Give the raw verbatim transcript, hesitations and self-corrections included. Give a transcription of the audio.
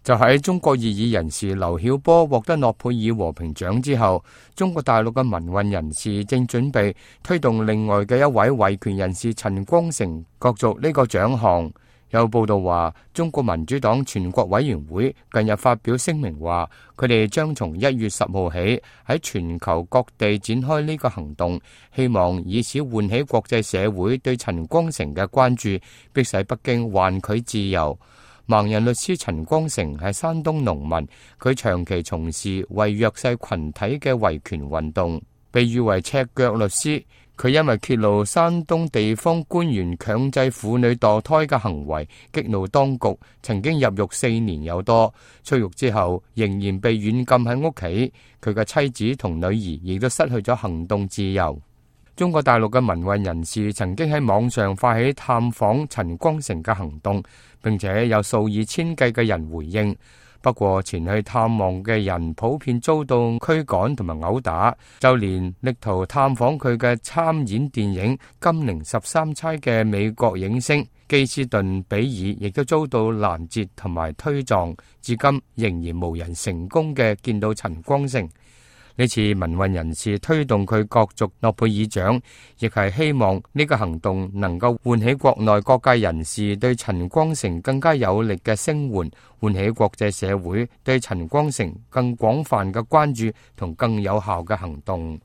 就喺中國異議人士劉曉波獲得諾貝爾和平獎之後，中國大陸嘅民運人士正準備推動另外嘅一位維權人士陳光誠角逐呢個獎項。有報道話，中國民主黨全國委員會近日發表聲明話，佢哋將從一月十號起喺全球各地展開呢個行動，希望以此喚起國際社會對陳光誠嘅關注，迫使北京還佢自由。盲人律師陳光誠係山東農民，佢長期從事為弱勢群體嘅維權運動，被譽為赤腳律師。佢因為揭露山東地方官員強制婦女墮胎嘅行為，激怒當局，曾經入獄四年有多。出獄之後，仍然被軟禁喺屋企。佢嘅妻子同女兒亦都失去咗行動自由。中國大陸嘅民運人士曾經喺網上發起探訪陳光誠嘅行動，並且有數以千計嘅人回應。不過前去探望嘅人普遍遭到驅趕同埋毆打，就連力圖探訪佢嘅參演電影《金陵十三釵》嘅美國影星基斯頓比爾亦都遭到攔截同埋推撞，至今仍然無人成功嘅見到陳光誠。呢次民運人士推動佢角逐諾貝爾獎，亦係希望呢個行動能夠喚起國內各界人士對陳光誠更加有力嘅聲援，喚起國際社會對陳光誠更廣泛嘅關注同更有效嘅行動。